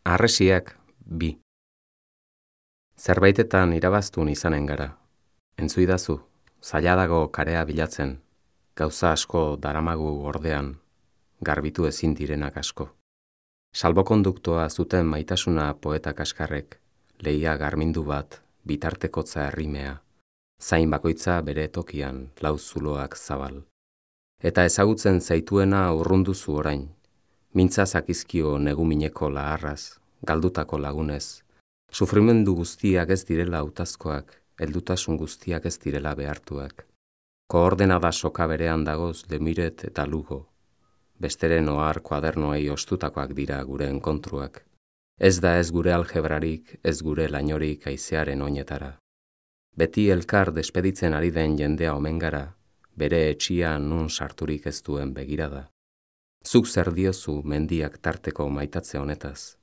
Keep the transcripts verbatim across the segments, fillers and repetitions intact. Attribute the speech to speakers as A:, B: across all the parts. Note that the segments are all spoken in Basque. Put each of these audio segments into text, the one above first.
A: Harresiak bi. Zerbaitetan irabaztun izanen gara. Entzuidazu, zaila dago karea bilatzen, gauza asko daramagu ordean, garbitu ezin direnak asko. Salbokonduktoa zuten maitasuna poeta kaskarrek, lehia garmindu bat, bitartekotza errimea, zain bakoitza bere tokian lau zuloak zabal. Eta ezagutzen zaituena urrunduzu orain, mintza zakizkio negumineko laharraz, galdutako lagunez, sufrimendu guztiak ez direla hautazkoak, heldutasun guztiak ez direla behartuak. Koordenada soka berean dagoz Lemiret eta Lugo, besteren ohar kuadernoei ostutakoak dira gure enkontruak. Ez da ez gure algebrarik, ez gure lainorik haizearen oinetara. Beti elkar despeditzen ari den jendea omen gara, bere etxia nun sarturik ez duen begirada. Zuk zer diozu mendiak tarteko maitatze honetaz?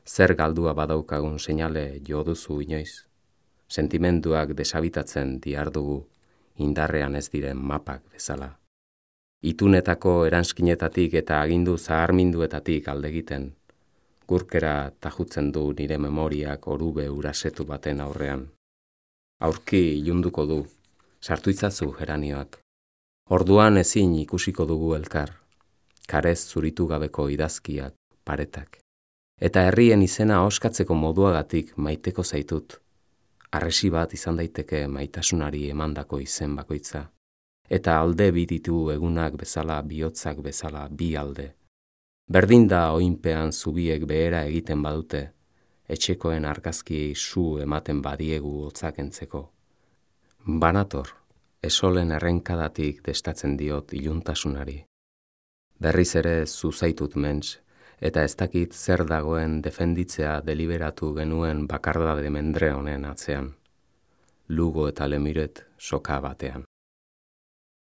A: Zer galdua badaukagun seinale jo duzu inoiz? Sentimenduak desabitatzen diardugu, indarrean ez diren mapak bezala. Itunetako eranskinetatik eta agindu zaharminduetatik aldegiten, gurkera tajutzen du nire memoriak orube urasetu baten aurrean. Aurki ilunduko du, sartu itzazu geranioak. Orduan ezin ikusiko dugu elkar, karez zuritu gabeko idazkiak, paretak. Eta herrien izena oskatzeko moduagatik maiteko zaitut. Harresi bat izan daiteke maitasunari emandako izen bakoitza. Eta alde bititu egunak bezala, bihotzak bezala, bi alde. Berdin da oinpean zubiek behera egiten badute, etxekoen argazkiei su ematen badiegu hotzak entzeko. Banator, esolen errenkadatik destatzen diot iluntasunari. Berriz ere zuzaitut ments, eta ez dakit zer dagoen defenditzea deliberatu genuen bakardade mendre honen atzean. Lugo eta Lemiret soka batean.